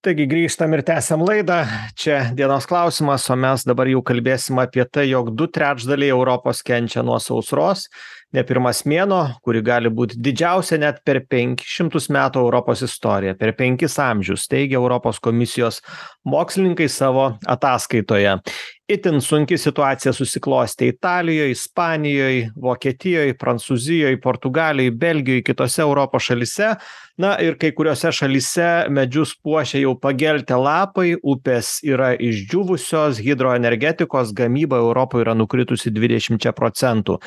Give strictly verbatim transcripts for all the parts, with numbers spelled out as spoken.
Taigi grįžtam ir tęsiam laidą. Čia dienos klausimas, o mes dabar jau kalbėsim apie tai, jog du trečdaliai Europos kenčia nuo sausros. Ne pirmas mėnuo, kuri gali būti didžiausia net per penkis šimtus metų Europos istoriją, per penkis amžius, teigia Europos komisijos mokslininkai savo ataskaitoje. Itin sunki situacija susiklostė Italijoj, Ispanijoj, Vokietijoj, Prancūzijoj, Portugalijoj, Belgijoj, kitose Europos šalyse. Na ir kai kuriuose šalyse medžius puošia jau pageltę lapai, upės yra išdžiūvusios, hidroenergetikos gamyba Europoje yra nukritusi dvidešimčia procentų.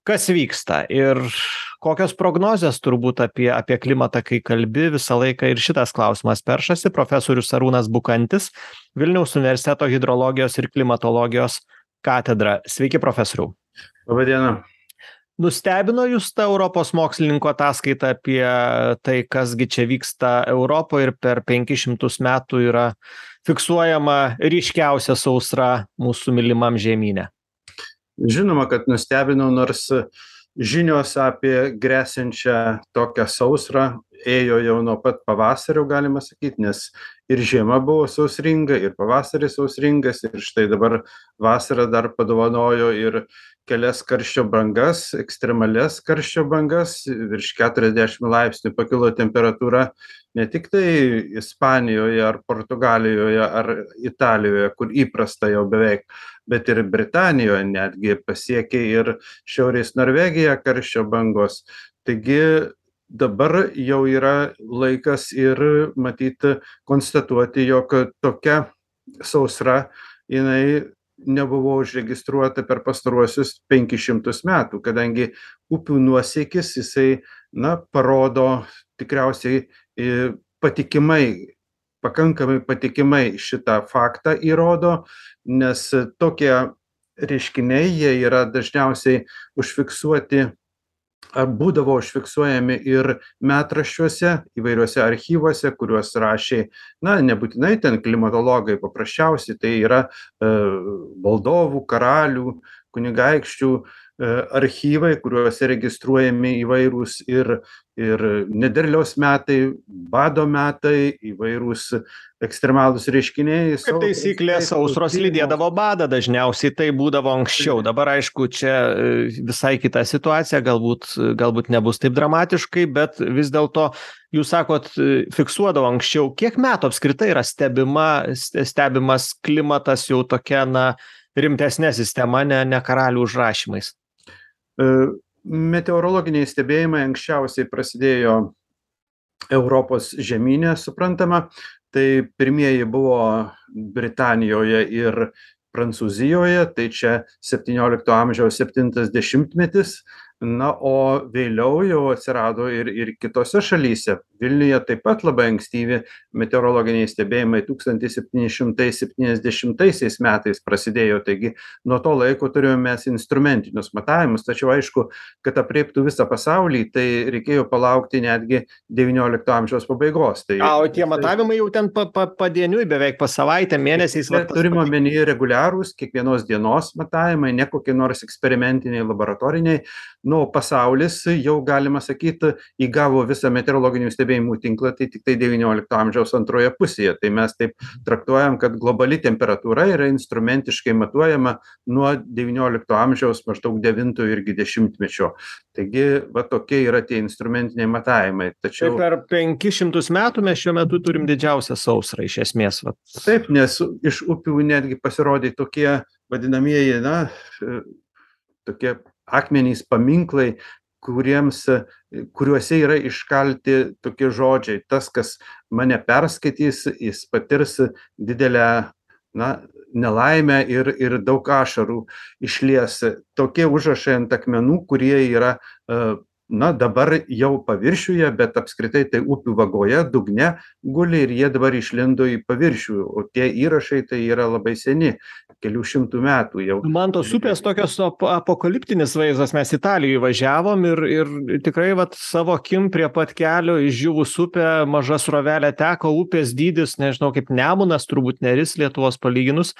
Kas vyksta ir kokios prognozės turbūt apie, apie klimatą, kai kalbi visą laiką ir šitas klausimas peršasi. Profesorius Arūnas Bukantis, Vilniaus universiteto hidrologijos ir klimatologijos katedra. Sveiki, profesoriau. Labą dieną. Nustebino jūs ta Europos mokslininko ataskaita apie tai, kasgi čia vyksta Europoje ir per penkis šimtus metų yra fiksuojama ryškiausia sausra mūsų mylimam žemyne? Žinoma, kad nustebino, nors žinios apie grėsiančią tokią sausrą ėjo jau nuo pat pavasario, galima sakyti, nes ir žiema buvo sausringa, ir pavasaris sausringas, ir štai dabar vasara dar padovanojo ir kelias karščio bangas, ekstremalias karščio bangas, virš keturiasdešimt laipsnių pakilo temperatūra ne tik tai Ispanijoje ar Portugalijoje ar Italijoje, kur įprasta jau beveik, bet ir Britanijoje netgi pasiekė ir Šiaurės Norvegija karščio bangos. Taigi dabar jau yra laikas ir matyti, konstatuoti, jog tokia sausra jinai nebuvo užregistruota per pastaruosius penkis šimtus metų, kadangi upių nuosėkis jisai, na, parodo tikriausiai patikimai, pakankamai patikimai šitą faktą įrodo, nes tokie reiškiniai, jie yra dažniausiai užfiksuoti, ar būdavo užfiksuojami ir metraščiuose, įvairiuose archyvuose, kuriuos rašė, na, nebūtinai ten klimatologai, paprasčiausiai tai yra e, valdovų, karalių, kunigaikščių e, archyvai, kuriuose registruojami įvairūs ir, ir nederliaus metai, bado metai, įvairūs ekstremalūs reiškiniai. Kaip taisyklė, sausros lydėdavo badą, dažniausiai tai būdavo anksčiau. Dabar, aišku, čia visai kita situacija, galbūt, galbūt nebus taip dramatiškai, bet vis dėlto, jūs sakot, fiksuodavo anksčiau. Kiek metų apskritai yra stebima, stebimas klimatas jau tokia, na, rimtesnė sistema, ne, ne karalių užrašymais? Meteorologiniai stebėjimai anksčiausiai prasidėjo Europos žemyne, suprantama. Tai pirmieji buvo Britanijoje ir Prancūzijoje, tai čia septyniolikto amžiaus septintas dešimtmetis, na, o vėliau jau atsirado ir, ir kitose šalyse. Vilniuje taip pat labai ankstyvi meteorologiniai stebėjimai tūkstantis septyni šimtai septyniasdešimtaisiais metais prasidėjo, taigi nuo to laiko turėjome mes instrumentinius matavimus, tačiau aišku, kad apreiptų visą pasaulį, tai reikėjo palaukti netgi devyniolikto amžiaus pabaigos. Tai, A, o tie matavimai jau ten pa, pa, padieniui, beveik pas savaitę, mėnesiais? Turime omenyje reguliarūs, kiekvienos dienos matavimai, ne kokie nors eksperimentiniai, laboratoriniai. Nu, pasaulis jau, galima sakyti, įgavo visą meteorologinių stebėjimų tinklą, tai tik tai devyniolikto amžiaus antroje pusėje. Tai mes taip traktuojam, kad globali temperatūra yra instrumentiškai matuojama nuo devyniolikto amžiaus maždaug devintojo irgi dešimtmečio. Taigi, va tokie yra tie instrumentiniai matavimai. Tačiau... Tai per penkis šimtus metų mes šiuo metu turim didžiausią sausrą iš esmės. Va. Taip, nes iš upių netgi pasirodė tokie vadinamieji, na, tokie akmenys, paminklai, kuriems, kuriuose yra iškalti tokie žodžiai. Tas, kas mane perskaitys, jis patirs didelę, na, nelaimę ir, ir daug ašarų išlies. Tokie užrašai ant akmenų, kurie yra, na, dabar jau paviršiuje, bet apskritai tai upių vagoje, dugne guli ir jie dabar išlindo į paviršių. O tie įrašai tai yra labai seni, kelių šimtų metų jau. Man tos upės tokios apokaliptinis vaizdas, mes Italijoje važiavom ir, ir tikrai vat, savo akim prie pat kelio išdžiūvus upė, maža srovelė teko, upės dydis, nežinau, kaip Nemunas, turbūt Neris Lietuvos palyginus,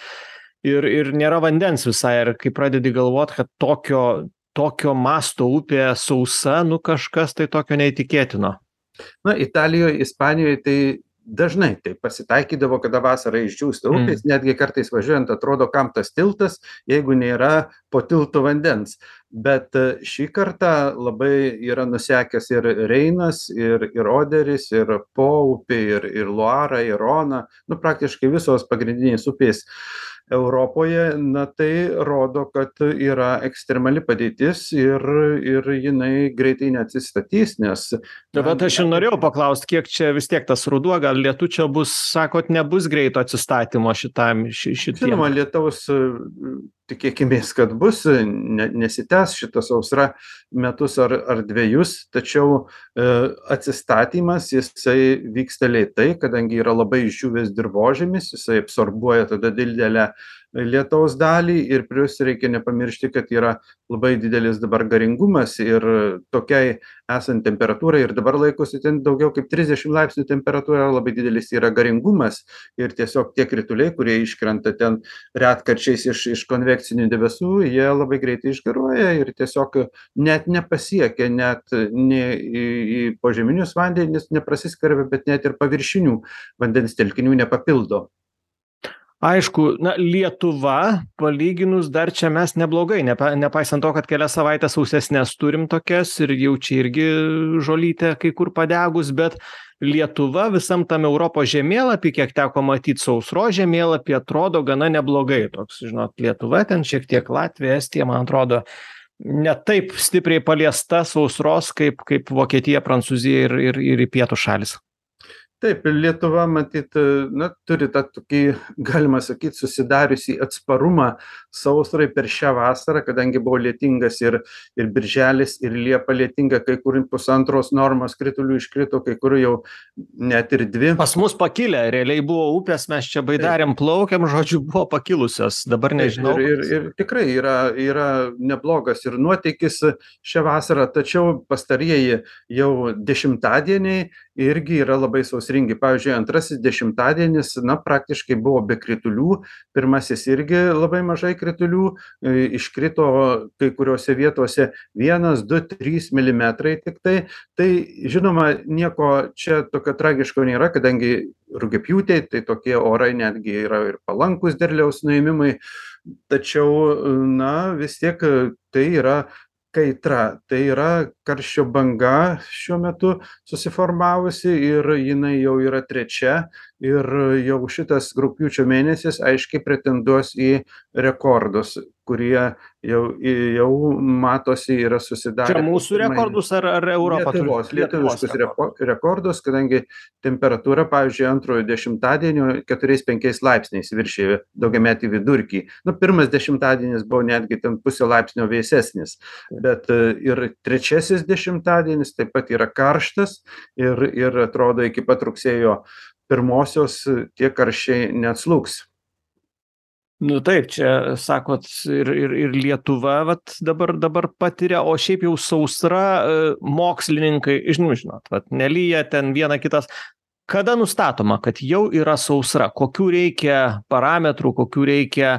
ir, ir nėra vandens visai. Ir kai pradedi galvot, kad tokio, tokio masto upė sausa, nu kažkas tai tokio neįtikėtino. Na, Italijoje, Ispanijoje tai dažnai taip pasitaikydavo, kada vasarą išdžiūsta upės, Mm. netgi kartais važiuojant atrodo, kam tas tiltas, jeigu nėra po tiltu vandens. Bet šį kartą labai yra nusekęs ir Reinas, ir, ir Oderis, ir Po upė, ir, ir Luara, ir Rona, nu praktiškai visos pagrindinės upės Europoje, na tai rodo, kad yra ekstremali padėtis ir, ir jinai greitai neatsistatys, nes Na, na, bet aš ir norėjau paklaust, kiek čia vis tiek tas ruduo, gal lietučio bus, sakot, nebus greito atsistatymo šitam, ši, šitiem. žinoma, lietaus e, tikėkimės, kad bus, ne, nesitęs šita sausra metus ar, ar dviejus, tačiau e, atsistatymas jisai vyksta lėtai, kadangi yra labai išdžiūvęs dirvožemis, jisai absorbuoja tada didelę lietaus dalį ir plius reikia nepamiršti, kad yra labai didelis dabar garingumas ir tokiai esant temperatūrai ir dabar laikosi ten daugiau kaip trisdešim laipsnių temperatūra, labai didelis yra garingumas ir tiesiog tie krituliai, kurie iškrenta ten retkarčiais iš, iš konvekcinių debesų, jie labai greitai išgaruoja ir tiesiog net nepasiekia, net ne į, į požeminius vandenis neprasiskverbia, bet net ir paviršinių vandens telkinių nepapildo. Aišku, na, Lietuva, palyginus dar čia mes neblogai, nepa, nepaisant to, kad kelias savaitės sausesnės turim tokias ir jau čia irgi žolytė kai kur padegus, bet Lietuva visam tam Europos žemėlapį, kiek teko matyti sausros žemėlapį, atrodo gana neblogai. Toks, žinot, Lietuva, ten šiek tiek Latvija, Estija, man atrodo, ne taip stipriai paliesta sausros, kaip, kaip Vokietija, Prancūzija ir, ir, ir į pietų šalis. Taip, Lietuva, matyt, na, turi tą tokį, galima sakyti, susidariusį atsparumą sausrai per šią vasarą, kadangi buvo lietingas ir, ir birželis, ir liepa lietinga, kai kur pusantros normos kritulių iškrito, kai kur jau net ir dvi. Pas mus pakilę, realiai buvo upės, mes čia baidarėm plaukiam, žodžiu, buvo pakilusios, dabar nežinau. Ir, ir, ir tikrai yra, yra neblogas ir nuotykis šią vasarą, tačiau pastarieji jau dešimtadieniai irgi yra labai sausringi. Pavyzdžiui, antrasis dešimtadienis, na, praktiškai buvo be kritulių, pirmasis irgi labai mažai kritulių, iškrito kai kuriuose vietose vienas, du, trys milimetrai tik tai. Tai, žinoma, nieko čia tokio tragiško nėra, kadangi rugiapjūtė, tai tokie orai netgi yra ir palankus derliaus nuėmimui, tačiau, na, vis tiek tai yra kaitra, tai yra karščio banga šiuo metu susiformavusi ir jinai jau yra trečia ir jau šitas rugpjūčio mėnesis aiškiai pretenduos į rekordus, kurie jau, jau matosi yra susidarę. Čia mūsų rekordus ar, ar Europos? Lietuvos, lietuviškus rekordus, kadangi temperatūra, pavyzdžiui, antrojo dešimtadienio keturiais penkiais laipsniais viršė daugiametį vidurkį. Nu, pirmas dešimtadienis buvo netgi ten pusę laipsnio vėsesnis, bet ir trečiasis dešimtadienis taip pat yra karštas ir, ir atrodo iki pat rugsėjo pirmosios tie karščiai neatslūgs. Nu taip, čia sakot ir, ir, ir Lietuva vat, dabar, dabar patiria, o šiaip jau sausra, mokslininkai, žinau, žinot, vat, nelyja ten viena kitas. Kada nustatoma, kad jau yra sausra? Kokių reikia parametrų, kokių reikia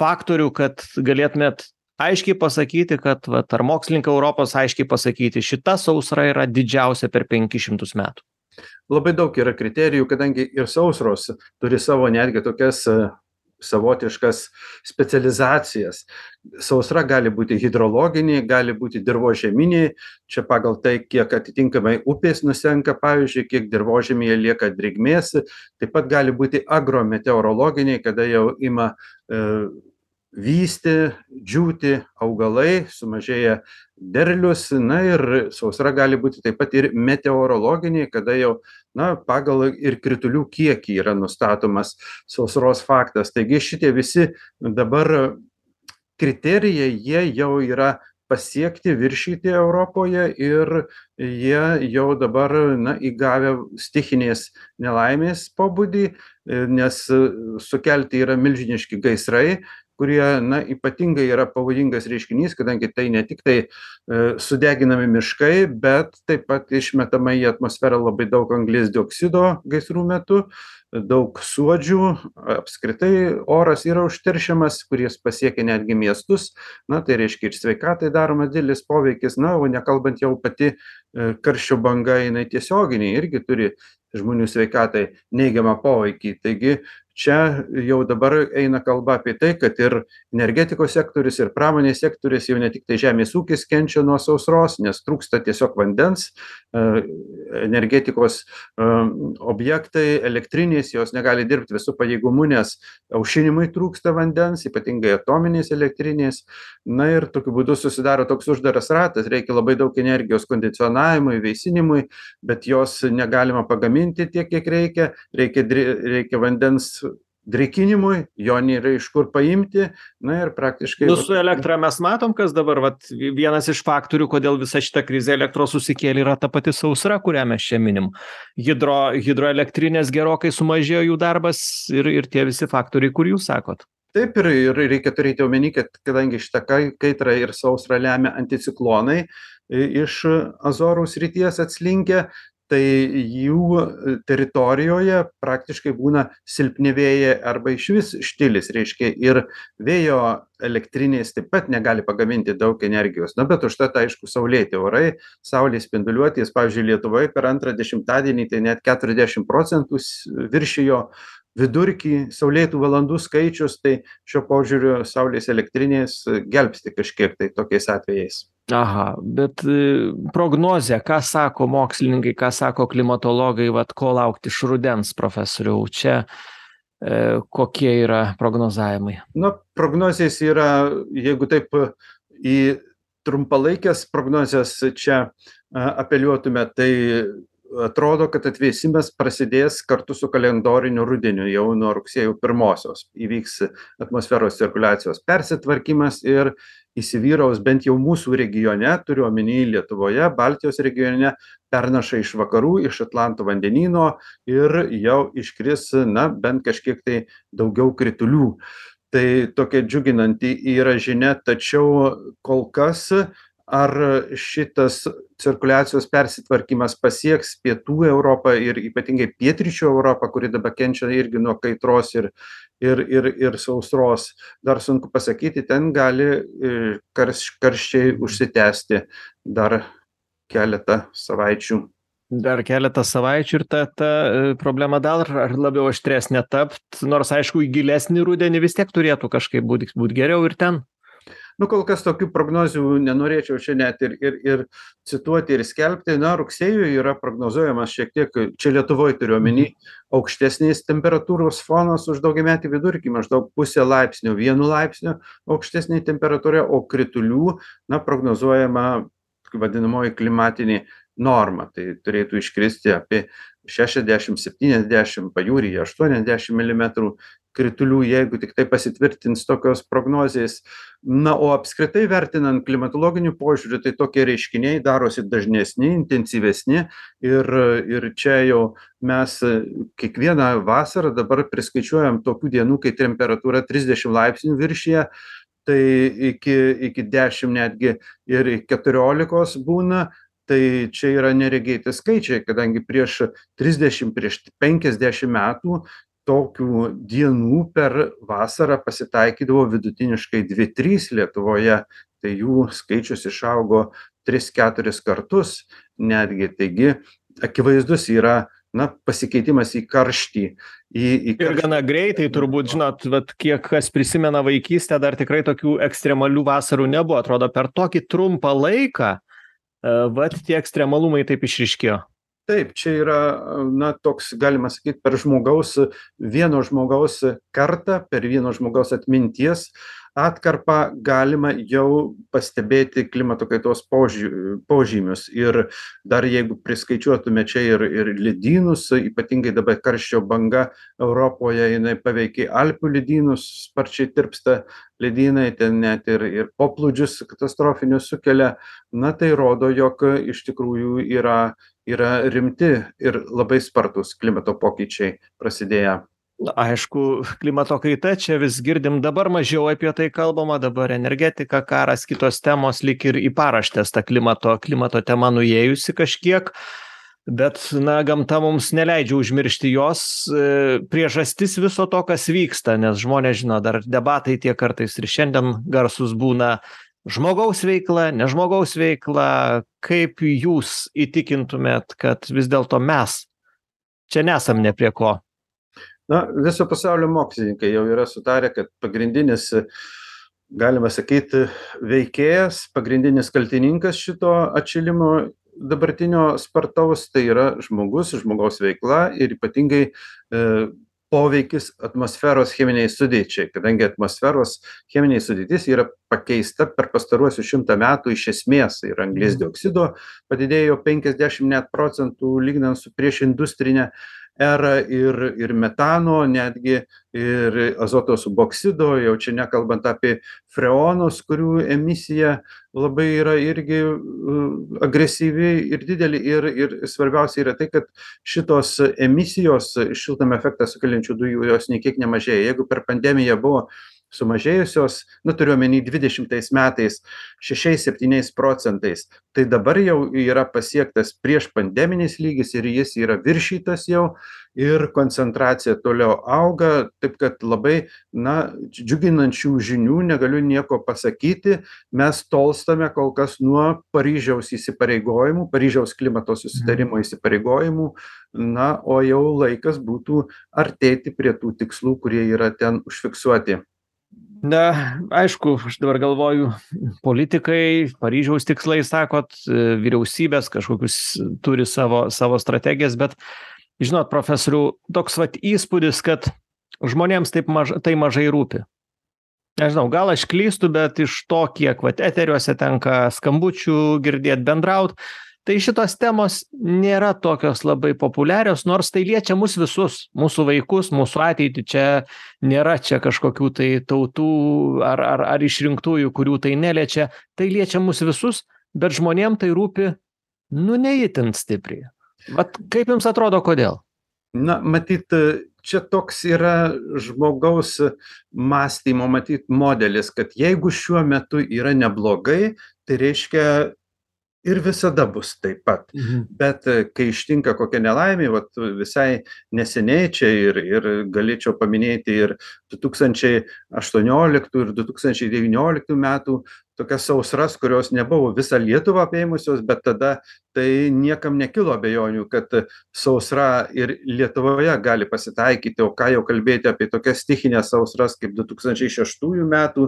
faktorių, kad galėtumėt aiškiai pasakyti, kad vat, ar mokslininkai Europos aiškiai pasakyti, šita sausra yra didžiausia per penkis šimtus metų? Labai daug yra kriterijų, kadangi ir sausros turi savo netgi tokias savotiškas specializacijas. Sausra gali būti hidrologinė, gali būti dirvožeminė, čia pagal tai, kiek atitinkamai upės nusenka, pavyzdžiui, kiek dirvožemėje lieka drėgmės, taip pat gali būti agrometeorologinė, kada jau ima e, vysti, džiūti augalai, sumažėja derlius, na ir sausra gali būti taip pat ir meteorologinė, kada jau, na, pagal ir kritulių kiekį yra nustatomas sausros faktas. Taigi šitie visi dabar kriterijai, jie jau yra pasiekti, viršyti Europoje ir jie jau dabar, na, įgavę stichinės nelaimės pobūdį, nes sukelti yra milžiniški gaisrai, kurie, na, ypatingai yra pavojingas reiškinys, kadangi tai ne tik tai e, sudeginami miškai, bet taip pat išmetama į atmosferą labai daug anglies dioksido gaisrų metu, daug suodžių, apskritai oras yra užteršiamas, kuris pasiekia netgi miestus, na, tai reiškia ir sveikatai daromas didelis poveikis, na, o nekalbant jau pati e, karščio banga, jinai tiesioginiai irgi turi žmonių sveikatai neigiamą poveikį. Taigi čia jau dabar eina kalba apie tai, kad ir energetikos sektorius, ir pramonės sektorius, jau ne tik tai žemės ūkis kenčia nuo sausros, nes trūksta tiesiog vandens, energetikos objektai, elektrinės, jos negali dirbti visų pajėgumų, nes aušinimui trūksta vandens, ypatingai atominės elektrinės. Na ir tokiu būdu susidaro toks uždaras ratas, reikia labai daug energijos kondicionavimui, veisinimui, bet jos negalima pagaminti tiek, kiek reikia, reikia, reikia vandens drėkinimui, jo nėra iš kur paimti, na ir praktiškai... Nu, su elektra mes matom, kas dabar, vat, vienas iš faktorių, kodėl visa šita krizė elektros susikėlė, yra ta pati sausra, kurią mes čia minim. Hidro, hidroelektrinės gerokai sumažėjo jų darbas ir, ir tie visi faktoriai, kur jūs sakot. Taip, ir, ir reikia turėti omeny, kad kadangi šitą kaitrą ir sausrą lemia anticiklonai iš Azorų srities atslinkę, tai jų teritorijoje praktiškai būna silpni vėjai arba išvis štilis, reiškia, ir vėjo elektrinės taip pat negali pagaminti daug energijos. Na, bet užtat, aišku, saulėti orai, saulės spinduliuotės, pavyzdžiui, Lietuvoje per antrą dešimtadienį tai net keturiasdešimt procentų viršijo vidurkį saulėtų valandų skaičius, tai šio požiūriu saulės elektrinės gelbsti kažkiek tai tokiais atvejais. Aha, bet prognozė, ką sako mokslininkai, ką sako klimatologai, vat ko laukti iš rudens, profesoriau, čia e, kokie yra prognozavimai? Na, prognozės yra, jeigu taip į trumpalaikės prognozės čia apeliuotume, tai atrodo, kad atvėsimas prasidės kartu su kalendoriniu rudeniu, jau nuo rugsėjo pirmosios. Įvyks atmosferos cirkuliacijos persitvarkymas ir įsivyraus bent jau mūsų regione, turiu omeny Lietuvoje, Baltijos regione, pernaša iš vakarų, iš Atlanto vandenyno ir jau iškris, na, bent kažkiek tai daugiau kritulių. Tai tokia džiuginanti yra žinia, tačiau kol kas ar šitas cirkuliacijos persitvarkymas pasieks pietų Europą ir ypatingai pietryčių Europą, kuri dabar kenčia irgi nuo kaitros ir, ir, ir, ir sausros, dar sunku pasakyti, ten gali karš, karščiai užsitęsti dar keletą savaičių. Dar keletą savaičių ir ta, ta problema dar ar labiau aštresnė tapt, nors aišku, į gilesnį rudenį vis tiek turėtų kažkaip būti būt geriau ir ten. Nu, kol kas tokių prognozių nenorėčiau čia net ir, ir, ir cituoti ir skelbti. Na, rugsėjui yra prognozuojamas šiek tiek, čia Lietuvoje turiu omeny, aukštesnės temperatūros fonas už daugiametį vidurkį, maždaug pusę laipsnių, vienu laipsniu aukštesnė temperatūra, o kritulių, na, prognozuojama vadinamoji klimatinė norma. Tai turėtų iškristi apie šešiasdešimt septyniasdešimt, pajūryje aštuoniasdešimt milimetrų kritulių, jeigu tik tai pasitvirtins tokios prognozės. Na, o apskritai vertinant klimatologinių požiūrių, tai tokie reiškiniai darosi dažnesni, intensyvesni ir, ir čia jau mes kiekvieną vasarą dabar priskaičiuojam tokių dienų, kai temperatūra trisdešimt laipsnių viršyje, tai iki, iki dešimt netgi ir keturiolikos būna. Tai čia yra neregėti skaičiai, kadangi prieš trisdešimt, prieš penkiasdešimt metų tokių dienų per vasarą pasitaikydavo vidutiniškai dvi trys Lietuvoje, tai jų skaičius išaugo tris keturis kartus netgi. Taigi akivaizdus yra, na, pasikeitimas į karštį. Į, į karštį. Ir gana greitai, turbūt, žinot, vat, kiek kas prisimena vaikystę, dar tikrai tokių ekstremalių vasarų nebuvo. Atrodo, per tokį trumpą laiką vat tie ekstremalumai taip išryškėjo. Taip, čia yra, na, toks, galima sakyti, per žmogaus, vieno žmogaus kartą, per vieno žmogaus atminties atkarpą galima jau pastebėti klimato kaitos požymius. Ir dar jeigu priskaičiuotume čia ir, ir ledynus, ypatingai dabar karščio banga Europoje, jinai paveikia Alpių ledynus, sparčiai tirpsta ledynai, ten net ir, ir poplūdžius katastrofinius sukelia. Na, tai rodo, jog iš tikrųjų yra, yra rimti ir labai spartus klimato pokyčiai prasidėję. Aišku, klimato kaita, čia vis girdim, dabar mažiau apie tai kalbama, dabar energetika, karas, kitos temos lyg ir į paraštės ta klimato, klimato tema nuėjusi kažkiek, bet, na, gamta mums neleidžia užmiršti jos priežastis viso to, kas vyksta, nes žmonės žino, dar debatai tie kartais ir šiandien garsus būna žmogaus veikla, ne žmogaus veikla. Kaip jūs įtikintumėt, kad vis dėlto mes čia nesam ne prie ko. Na, viso pasaulio mokslininkai jau yra sutarę, kad pagrindinis, galima sakyti, veikėjas, pagrindinis kaltininkas šito atšilimo dabartinio spartaus, tai yra žmogus, žmogaus veikla ir ypatingai e, poveikis atmosferos cheminiai sudėčiai, kadangi atmosferos cheminiai sudėtis yra pakeista per pastaruosius šimtą metų iš esmės ir anglies dioksido padidėjo penkiasdešimt net procentų lyginant su prieš industrinę erą ir, ir metano, netgi ir azoto suboksido, jau čia nekalbant apie freonus, kurių emisija labai yra irgi uh, agresyvi ir didelį. Ir, ir svarbiausia yra tai, kad šitos emisijos šiltnamio efektą sukeliančių dujų jos nei kiek nemažėja. Jeigu per pandemiją buvo sumažėjusios, nu turiu omeny dvidešimtais metais šešiais septyniais procentais, tai dabar jau yra pasiektas prieš pandeminis lygis ir jis yra viršytas jau ir koncentracija toliau auga, taip kad labai, na, džiuginančių žinių, negaliu nieko pasakyti, mes tolstame kol kas nuo Paryžiaus įsipareigojimų, Paryžiaus klimato susitarimo įsipareigojimų, na, o jau laikas būtų artėti prie tų tikslų, kurie yra ten užfiksuoti. Na, aišku, aš dabar galvoju, politikai, Paryžiaus tikslai, sakot, vyriausybės kažkokius turi savo, savo strategijas, bet, žinot, profesoriau, toks vat įspūdis, kad žmonėms taip maž, tai mažai rūpi. Nežinau, gal aš klystu, bet iš to, kiek vat eteriuose tenka skambučių girdėti, bendraut, tai šitos temos nėra tokios labai populiarios, nors tai liečia mus visus, mūsų vaikus, mūsų ateitį. Čia nėra čia kažkokių tai tautų ar, ar, ar išrinktųjų, kurių tai neliečia. Tai liečia mus visus, bet žmonėm tai rūpi, nu, neįtin stipriai. Vat kaip jums atrodo, kodėl? Na, matyt, čia toks yra žmogaus mąstymo, matyt, modelis, kad jeigu šiuo metu yra neblogai, tai reiškia ir visada bus taip pat. Mhm. Bet kai ištinka kokia nelaimė, vat visai neseniai čia ir, ir galėčiau paminėti ir du tūkstančiai aštuonioliktų ir du tūkstančiai devynioliktų metų tokias sausras, kurios nebuvo visą Lietuvą apėmusios, bet tada tai niekam nekilo abejonių, kad sausra ir Lietuvoje gali pasitaikyti, o ką jau kalbėti apie tokias stichinės sausras kaip du tūkstančiai šeštųjų metų,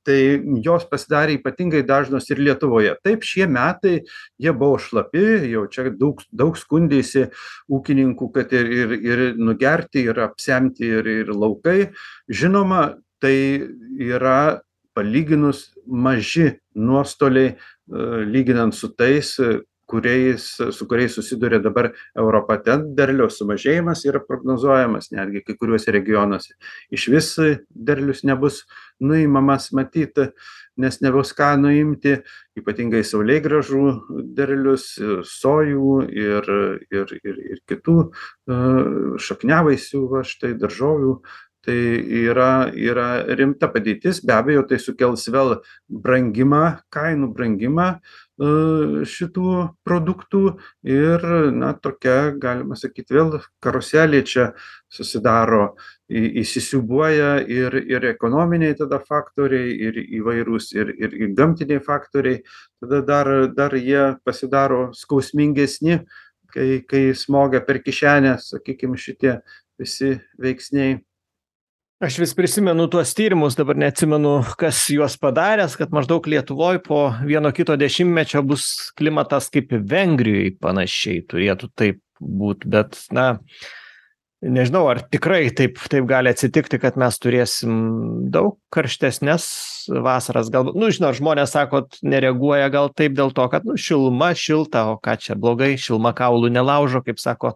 tai jos pasidarė ypatingai dažnos ir Lietuvoje. Taip, šie metai jie buvo šlapi, jau čia daug, daug skundėsi ūkininkų, kad ir, ir, ir nugerti, ir apsemti, ir, ir laukai. Žinoma, tai yra palyginus maži nuostoliai, lyginant su tais, kuriais, su kuriais susiduria dabar Europa. Ten derliaus sumažėjimas yra prognozuojamas, netgi kai kuriuose regionuose. Iš vis derlius nebus nuimamas, matyti, nes nebus ką nuimti, ypatingai saulėgrąžų derlius, sojų ir, ir, ir, ir kitų šakniavaisių, va, štai daržovių. Tai yra, yra rimta padėtis, be abejo, tai sukels vėl brangimą, kainų brangimą šitų produktų ir, na, tokia, galima sakyti, vėl karuselė čia susidaro, įsisiūbuoja ir, ir ekonominiai tada faktoriai, ir įvairūs, ir, ir, ir gamtiniai faktoriai, tada dar, dar jie pasidaro skausmingesni, kai, kai smogia per kišenę, sakykime, šitie visi veiksniai. Aš vis prisimenu tuos tyrimus, dabar neatsimenu, kas juos padaręs, kad maždaug Lietuvoj po vieno kito dešimtmečio bus klimatas kaip Vengrijoje panašiai, turėtų taip būti, bet, na, nežinau, ar tikrai taip, taip gali atsitikti, kad mes turėsim daug karštesnės vasaras. Galbūt, nu, žinot, žmonės sakot, nereaguoja gal taip dėl to, kad, nu, šiluma, šilta, o ką čia blogai, šiluma kaulų nelaužo, kaip sako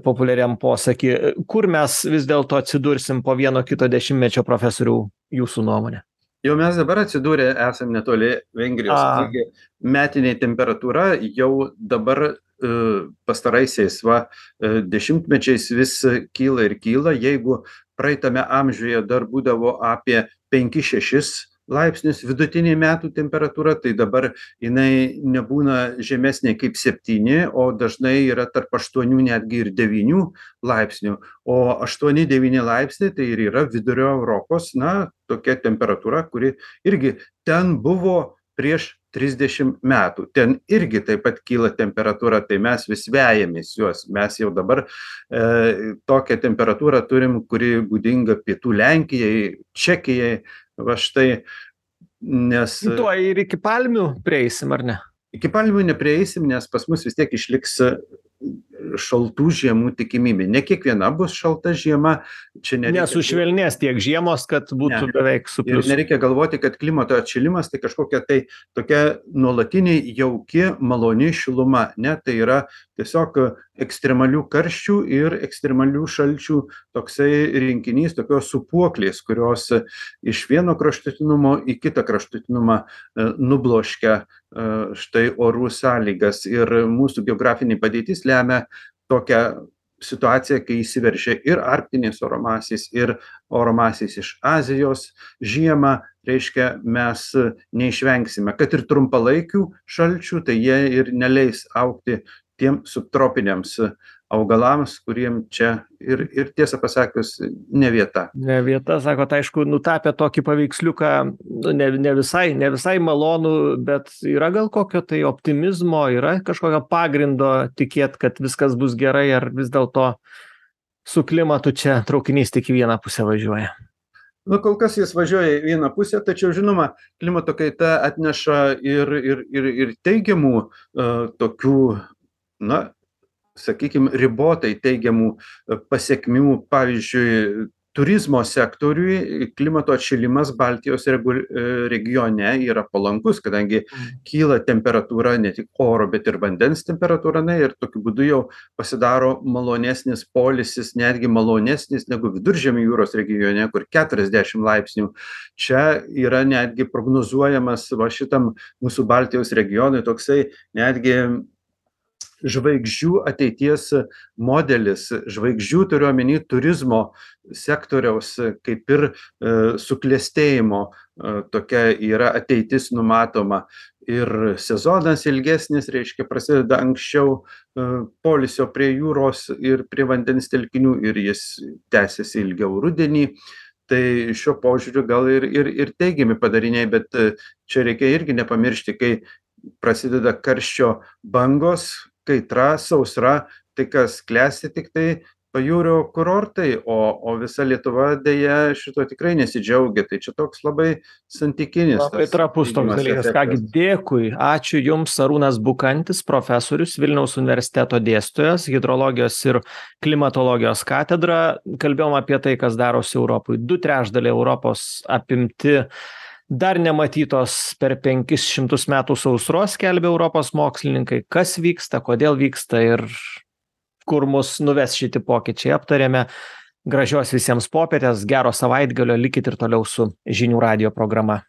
populiariam posakį. Kur mes vis dėlto atsidursim po vieno kito dešimtmečio, profesorių, jūsų nuomonė? Jau mes dabar atsidūrė, esam netoli Vengrijos. Taigi, metinė temperatūra jau dabar pastaraisiais va, dešimtmečiais vis kyla ir kyla. Jeigu praeitame amžiuje dar būdavo apie penkis šešis laipsnius vidutinė metų temperatūra, tai dabar jinai nebūna žemesnė kaip septyni, o dažnai yra tarp aštuonių netgi ir devynių laipsnių. O aštuoni devyni laipsniai tai ir yra vidurio Europos, na, tokia temperatūra, kuri irgi ten buvo prieš trisdešim metų. Ten irgi taip pat kyla temperatūra, tai mes vis vejamės juos. Mes jau dabar e, tokią temperatūrą turim, kuri būdinga pietų Lenkijai, Čekijai, va štai, nes Tuo ir iki palmių prieisim, ar ne? iki palmių neprieisim, nes pas mus vis tiek išliks šaltų žiemų tikimybė. Ne kiekviena bus šalta žiema. Čia nereikia... Nesušvelnės tiek žiemos, kad būtų Ne. beveik su Ir pliusu. nereikia galvoti, kad klimato atšilimas tai kažkokia tai tokia nuolatinė jauki, maloni šiluma. Ne, tai yra tiesiog ekstremalių karščių ir ekstremalių šalčių toksai rinkinys, tokios supuoklės, kurios iš vieno kraštutinumo į kitą kraštutinumą e, nubloškia e, štai orų sąlygas. Ir mūsų geografinė padėtis lemia tokią situaciją, kai įsiveržia ir arktinės oro masės, ir oro masės iš Azijos žiemą, reiškia, mes neišvengsime, kad ir trumpalaikių šalčių, tai jie ir neleis augti tiem subtropiniams augalams, kuriem čia ir, ir tiesą pasakius, ne vieta. Ne vieta, sakot, aišku, nutapė tokį paveiksliuką, nu, ne, ne, visai, ne visai malonų, bet yra gal kokio tai optimizmo, yra kažkokio pagrindo tikėt, kad viskas bus gerai, ar vis dėlto su klimatu čia traukinys tik į vieną pusę važiuoja? Nu, kol kas jis važiuoja į vieną pusę, tačiau, žinoma, klimato kaita atneša ir, ir, ir, ir teigiamų uh, tokių, na, sakykime, ribotai teigiamų pasekmių. Pavyzdžiui, turizmo sektoriui klimato atšilimas Baltijos regione yra palankus, kadangi kyla temperatūra, ne tik oro, bet ir vandens temperatūra, na, ir tokiu būdu jau pasidaro malonesnis poilsis, netgi malonesnis negu Viduržemio jūros regione, kur keturiasdešim laipsnių. Čia yra netgi prognozuojamas va šitam mūsų Baltijos regionui toksai netgi žvaigždžių ateities modelis. Žvaigždžių turiu omeny turizmo sektoriaus kaip ir e, suklestėjimo e, tokia yra ateitis numatoma. Ir sezonas ilgesnis, reiškia, prasideda anksčiau e, poilsio prie jūros ir prie vandens telkinių, ir jis tęsiasi ilgiau rudenį. Tai šiuo požiūriu gal ir, ir, ir teigiami padariniai, bet čia reikia irgi nepamiršti, kai prasideda karščio bangos, kaitra, sausra, tai kas klesti tik tai pajūrio kurortai, o, o visa Lietuva dėja šito tikrai nesidžiaugia. Tai čia toks labai santykinis. Labai trapus toks dalykas. Kągi, dėkui. Ačiū Jums, Arūnas Bukantis, profesorius, Vilniaus universiteto dėstytojas, hidrologijos ir klimatologijos katedra. Kalbėjom apie tai, kas darosi Europai. Du trečdaliai Europos apimti dar nematytos per penkis šimtus metų sausros, skelbia Europos mokslininkai. Kas vyksta, kodėl vyksta ir kur mus nuves šiti pokyčiai, aptarėme. Gražios visiems popietės, gero savaitgalio, likit ir toliau su Žinių radijo programa.